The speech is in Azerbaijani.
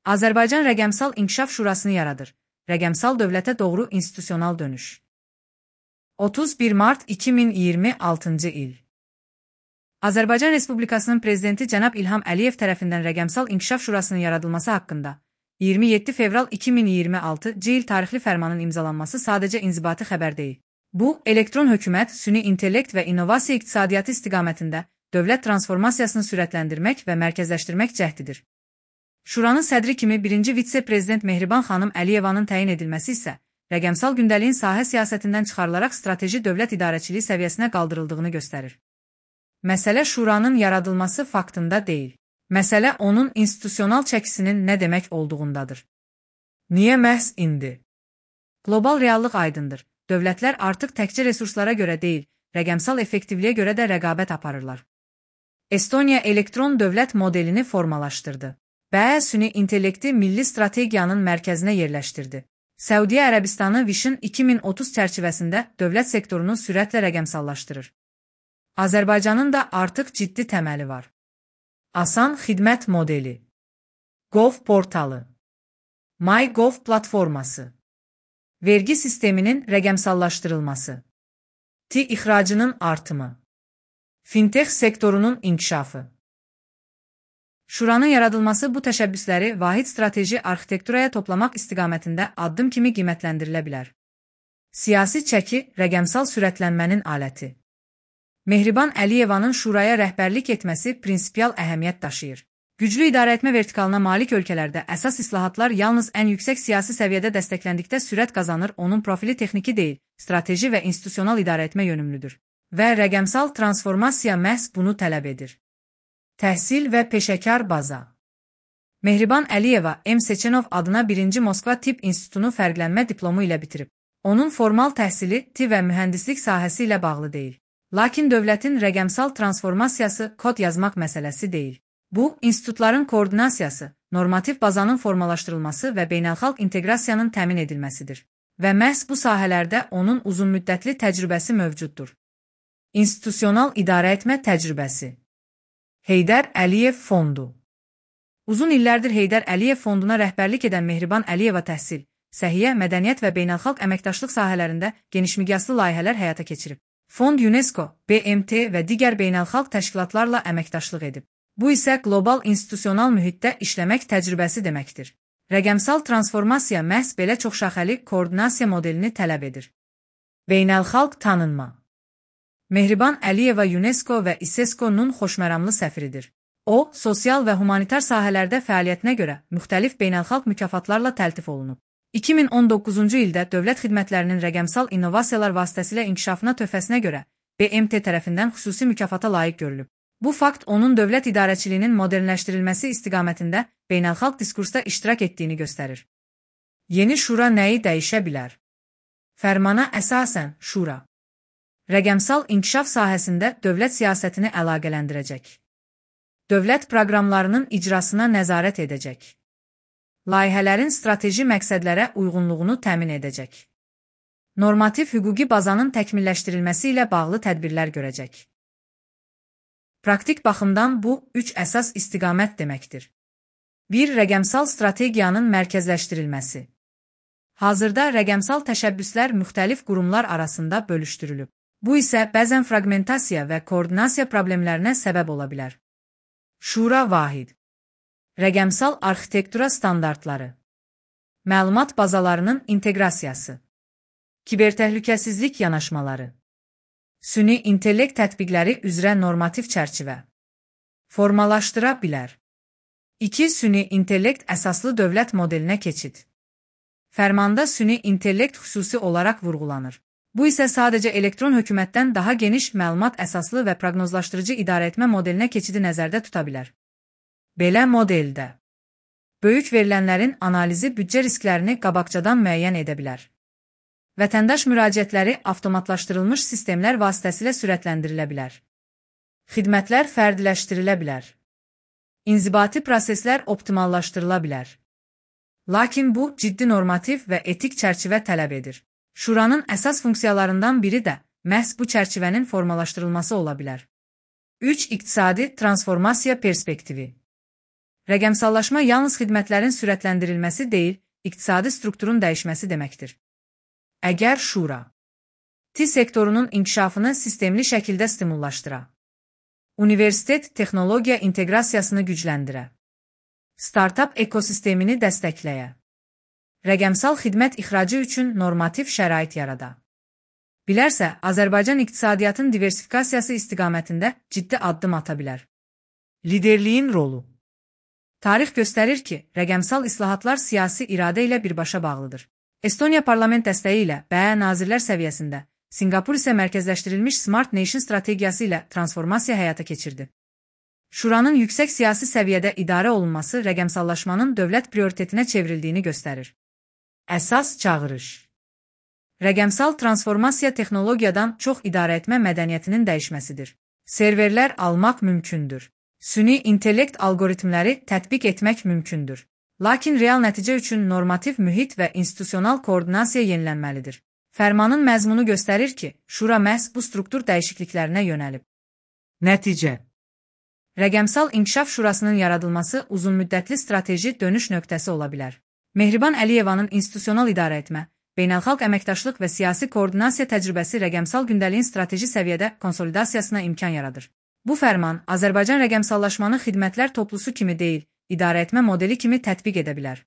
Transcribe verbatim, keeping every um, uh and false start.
Azərbaycan Rəqəmsal İnkişaf Şurasını yaradır. Rəqəmsal dövlətə doğru institusional dönüş. otuz bir mart iki min iyirmi altıncı il. Azərbaycan Respublikasının Prezidenti cənab İlham Əliyev tərəfindən Rəqəmsal İnkişaf Şurasının yaradılması haqqında iyirmi yeddi fevral iki min iyirmi altıncı il tarixli fərmanın imzalanması sadəcə inzibati xəbər deyil. Bu, elektron hökumət, süni intellekt və innovasiya iqtisadiyyatı istiqamətində dövlət transformasiyasını sürətləndirmək və mərkəzləşdirmək cəhdidir. Şuranın sədri kimi birinci vitse-prezident Mehriban xanım Əliyevanın təyin edilməsi isə rəqəmsal gündəliyin sahə siyasətindən çıxarılaraq strateji dövlət idarəçiliyi səviyyəsinə qaldırıldığını göstərir. Məsələ şuranın yaradılması faktında deyil. Məsələ onun institusional çəkisinin nə demək olduğundadır. Niyə məhz indi? Qlobal reallıq aydındır. Dövlətlər artıq təkcə resurslara görə deyil, rəqəmsal effektivliyə görə də rəqabət aparırlar. Estoniya elektron dövlət modelini formalaşdırdı. B süni intellekti milli strategiyanın mərkəzinə yerləşdirdi. Səudiyyə Ərəbistanı Vision iki min otuz çərçivəsində dövlət sektorunu sürətlə rəqəmsallaşdırır. Azərbaycanın da artıq ciddi təməli var. Asan xidmət modeli, Gov portalı, MyGov platforması, vergi sisteminin rəqəmsallaşdırılması, T ixracının artımı, fintech sektorunun inkişafı. Şuranın yaradılması bu təşəbbüsləri vahid strateji arxitekturaya toplamaq istiqamətində addım kimi qiymətləndirilə bilər. Siyasi çəki rəqəmsal sürətlənmənin aləti. Mehriban Əliyevanın şuraya rəhbərlik etməsi prinsipial əhəmiyyət daşıyır. Güclü idarəetmə vertikalına malik ölkələrdə əsas islahatlar yalnız ən yüksək siyasi səviyyədə dəstəkləndikdə sürət qazanır, onun profili texniki deyil, strateji və institusional idarəetmə yönümlüdür. Və rəqəmsal transformasiya məhz bunu tələb edir. Təhsil və peşəkar baza. Mehriban Əliyeva M. Seçenov adına birinci Moskva Tibb İnstitutunu fərqlənmə diplomu ilə bitirib. Onun formal təhsili tibb və mühəndislik sahəsi ilə bağlı deyil. Lakin dövlətin rəqəmsal transformasiyası kod yazmaq məsələsi deyil. Bu, institutların koordinasiyası, normativ bazanın formalaşdırılması və beynəlxalq inteqrasiyanın təmin edilməsidir. Və məhz bu sahələrdə onun uzunmüddətli təcrübəsi mövcuddur. İnstitusional idarəetmə təcrübəsi. Heydər Əliyev Fondu. Uzun illərdir Heydər Əliyev Fonduna rəhbərlik edən Mehriban Əliyeva təhsil, səhiyyə, mədəniyyət və beynəlxalq əməkdaşlıq sahələrində genişmiqyaslı layihələr həyata keçirib. Fond UNESCO, B M T və digər beynəlxalq təşkilatlarla əməkdaşlıq edib. Bu isə qlobal institusional mühitdə işləmək təcrübəsi deməkdir. Rəqəmsal transformasiya məhz belə çoxşaxəli koordinasiya modelini tələb edir. Beynəlxalq tanınma. Mehriban Əliyeva UNESCO və İSESCO-nun xoşməramlı səfiridir. O, sosial və humanitar sahələrdə fəaliyyətinə görə müxtəlif beynəlxalq mükafatlarla təltif olunub. iki min on doqquzuncu ildə dövlət xidmətlərinin rəqəmsal innovasiyalar vasitəsilə inkişafına töhfəsinə görə B M T tərəfindən xüsusi mükafata layiq görülüb. Bu fakt onun dövlət idarəçiliyinin modernləşdirilməsi istiqamətində beynəlxalq diskursda iştirak etdiyini göstərir. Yeni şura nəyi dəyişə bilər? Fərmana əsasən şura rəqəmsal inkişaf sahəsində dövlət siyasətini əlaqələndirəcək. Dövlət proqramlarının icrasına nəzarət edəcək. Layihələrin strateji məqsədlərə uyğunluğunu təmin edəcək. Normativ hüquqi bazanın təkmilləşdirilməsi ilə bağlı tədbirlər görəcək. Praktik baxımdan bu, üç əsas istiqamət deməkdir. bir Rəqəmsal strategiyanın mərkəzləşdirilməsi. Hazırda rəqəmsal təşəbbüslər müxtəlif qurumlar arasında bölüşdürülüb. Bu isə bəzən fraqmentasiya və koordinasiya problemlərinə səbəb ola bilər. Şura vahid. Rəqəmsal arxitektura standartları. Məlumat bazalarının inteqrasiyası. Kibertəhlükəsizlik yanaşmaları. Süni intellekt tətbiqləri üzrə normativ çərçivə. Formalaşdıra bilər. iki Süni intellekt əsaslı dövlət modelinə keçid. Fərmanda süni intellekt xüsusi olaraq vurğulanır. Bu isə sadəcə elektron hökumətdən daha geniş məlumat əsaslı və proqnozlaşdırıcı idarəetmə modelinə keçidi nəzərdə tuta bilər. Belə modeldə böyük verilənlərin analizi büdcə risklərini qabaqcadan müəyyən edə bilər. Vətəndaş müraciətləri avtomatlaşdırılmış sistemlər vasitəsilə sürətlendirilə bilər. Xidmətlər fərdiləşdirilə bilər. İnzibati proseslər optimallaşdırıla bilər. Lakin bu, ciddi normativ və etik çərçivə tələb edir. Şuranın əsas funksiyalarından biri də məhz bu çərçivənin formalaşdırılması ola bilər. üç İqtisadi transformasiya perspektivi. Rəqəmsallaşma yalnız xidmətlərin sürətləndirilməsi deyil, iqtisadi strukturun dəyişməsi deməkdir. Əgər şura T sektorunun inkişafını sistemli şəkildə stimullaşdıra, universitet texnologiya inteqrasiyasını gücləndirə, startap ekosistemini dəstəkləyə, rəqəmsal xidmət ixracı üçün normativ şərait yarada, bilərsə, Azərbaycan iqtisadiyyatın diversifikasiyası istiqamətində ciddi addım ata bilər. Liderliyin rolu Tarix göstərir ki, rəqəmsal islahatlar siyasi iradə ilə birbaşa bağlıdır. Estoniya parlament dəstəyi ilə B ə nazirlər səviyyəsində, Sinqapur isə mərkəzləşdirilmiş Smart Nation strategiyası ilə transformasiya həyata keçirdi. Şuranın yüksək siyasi səviyyədə idarə olunması rəqəmsallaşmanın dövlət prioritetinə çevrildiyini göstərir. Əsas çağırış Rəqəmsal transformasiya texnologiyadan çox idarəetmə mədəniyyətinin dəyişməsidir. Serverlər almaq mümkündür. Süni intellekt algoritmləri tətbiq etmək mümkündür. Lakin real nəticə üçün normativ mühit və institusional koordinasiya yenilənməlidir. Fərmanın məzmunu göstərir ki, şura məhz bu struktur dəyişikliklərinə yönəlib. Nəticə Rəqəmsal İnkişaf Şurasının yaradılması uzunmüddətli strateji dönüş nöqtəsi ola bilər. Mehriban Əliyevanın institusional idarəetmə, beynəlxalq əməkdaşlıq və siyasi koordinasiya təcrübəsi rəqəmsal gündəliyin strateji səviyyədə konsolidasiyasına imkan yaradır. Bu fərman Azərbaycan rəqəmsallaşmanı xidmətlər toplusu kimi deyil, idarəetmə modeli kimi tətbiq edə bilər.